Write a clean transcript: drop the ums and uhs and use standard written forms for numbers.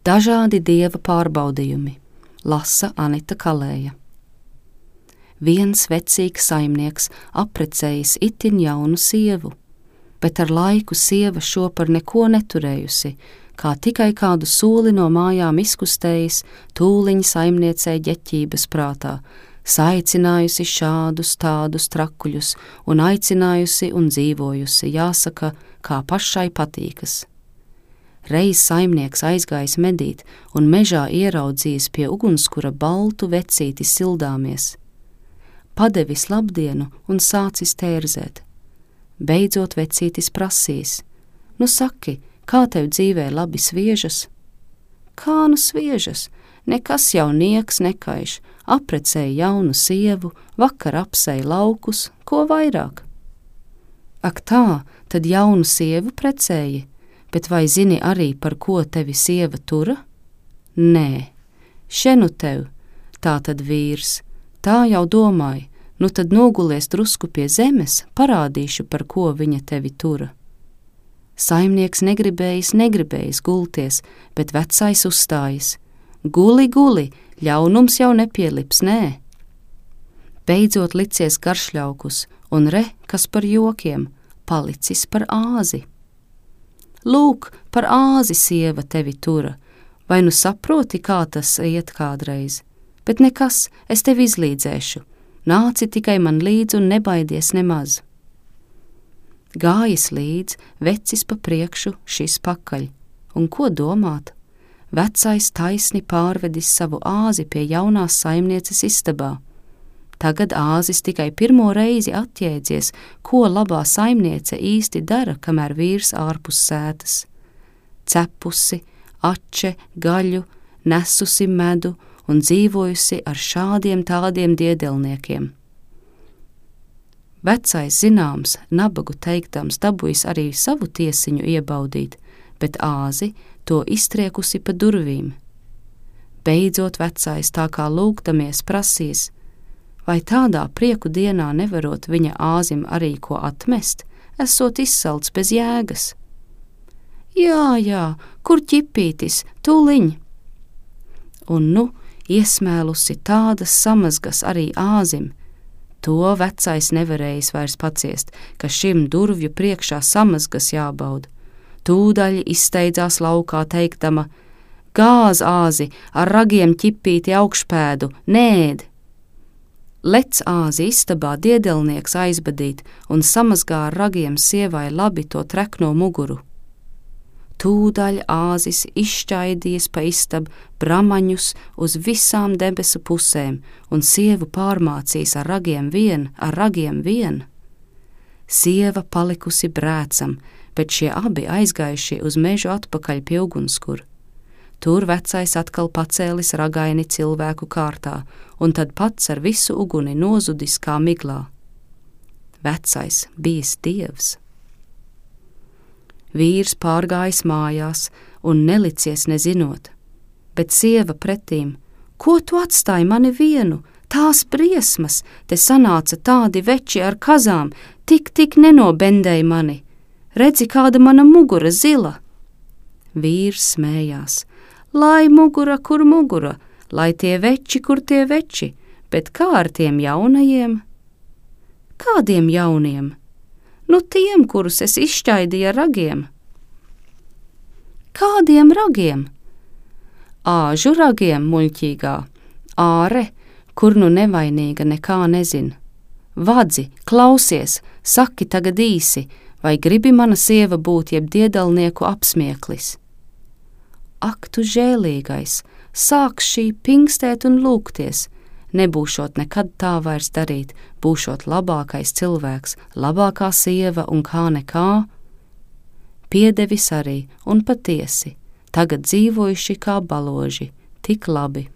Dažādi dieva pārbaudījumi, lasa Anita Kalēja. Viens vecīgs saimnieks apprecējis itin jaunu sievu, bet ar laiku sieva šo par neko neturējusi, kā tikai kādu sūli no mājām izkustējis, tūliņ saimniecei ģeķības prātā, saicinājusi šādus tādus trakuļus un aicinājusi un dzīvojusi, jāsaka, kā pašai patīkas. Reiz saimnieks aizgājis medīt un mežā ieraudzījis pie ugunskura baltu vecīti sildāmies. Padevis labdienu un sācis tērzēt. Beidzot vecītis prasīs: "Nu saki, kā tev dzīvē labi sviežas?" "Kā nu sviežas? Nekas jau nieks nekaiš, apprecēja jaunu sievu, vakar apsēja laukus, ko vairāk?" "Ak tā, tad jaunu sievu precēji, bet vai zini arī, par ko tevi sieva tura?" "Nē, šenu tev, tā tad vīrs, tā jau domāju, nu tad nogulies drusku pie zemes, parādīšu, par ko viņa tevi tura." Saimnieks negribējis gulties, bet vecais uzstājas: "Guli, guli, ļaunums jau nepielips, nē." Beidzot licies garšļaukus, un re, kas par jokiem, palicis par āzi. "Lūk, par āzi sieva tevi tura, vai nu saproti, kā tas iet kādreiz? Bet nekas, es tevi izlīdzēšu, nāci tikai man līdzi un nebaidies nemaz." Gājis līdz, vecis pa priekšu, šis pakaļ, un ko domāt? Vecais taisni pārvedis savu āzi pie jaunās saimnieces istabā. Tagad āzis tikai pirmo reizi atjēdzies, ko labā saimniece īsti dara, kamēr vīrs ārpus sētas. Cepusi, ače, gaļu, nesusi medu un dzīvojusi ar šādiem tādiem diedelniekiem. Vecais zināms, nabagu teiktams, dabujis arī savu tiesiņu iebaudīt, bet āzi to iztriekusi pa durvīm. Beidzot vecais tā kā lūgdamies prasīs: vai tādā prieku dienā nevarot viņa āzim arī ko atmest, esot izsalts bez jēgas? Jā, kur ķipītis, tūliņ. Un nu iesmēlusi tādas samazgas arī āzim. To vecais nevarējis vairs paciest, ka šim durvju priekšā samazgas jābauda. Tūdaļ izsteidzās laukā teiktama: "Gāz āzi, ar ragiem ķipīti augšpēdu, nēd!" Lec āzi istabā diedelnieks aizbadīt un samazgā ar ragiem sievai labi to trekno muguru. Tūdaļ āzis izšķaidījis pa istabu bramaņus uz visām debesu pusēm un sievu pārmācījis ar ragiem vien. Sieva palikusi brēcam, bet šie abi aizgājuši uz mežu atpakaļ pie ugunskura. Tur vecais atkal pacēlis ragaini cilvēku kārtā, un tad pats ar visu uguni nozudis kā miglā. Vecais bijis dievs. Vīrs pārgājis mājās un nelicies nezinot, bet sieva pretīm: "Ko tu atstāji mani vienu? Tās briesmas, te sanāca tādi veči ar kazām, tik nenobendēja mani. Redzi, kāda mana mugura zila." Vīrs smējās: "Lai mugura, kur mugura, lai tie veči, kur tie veči, bet kā ar tiem jaunajiem?" "Kādiem jauniem?" "Nu tiem, kurus es izšķaidīju ar ragiem." "Kādiem ragiem?" "Āžu ragiem, muļķīgā, āre, kur nu nevainīga nekā nezin. Vadzi, klausies, saki tagad īsi, vai gribi mana sieva būt jeb diedalnieku apsmieklis?" Ak, tu žēlīgais, sāks šī pingstēt un lūgties, nebūšot nekad tā vairs darīt, būšot labākais cilvēks, labākā sieva un kā nekā. Piedevis arī un patiesi, tagad dzīvojuši kā baloži, tik labi.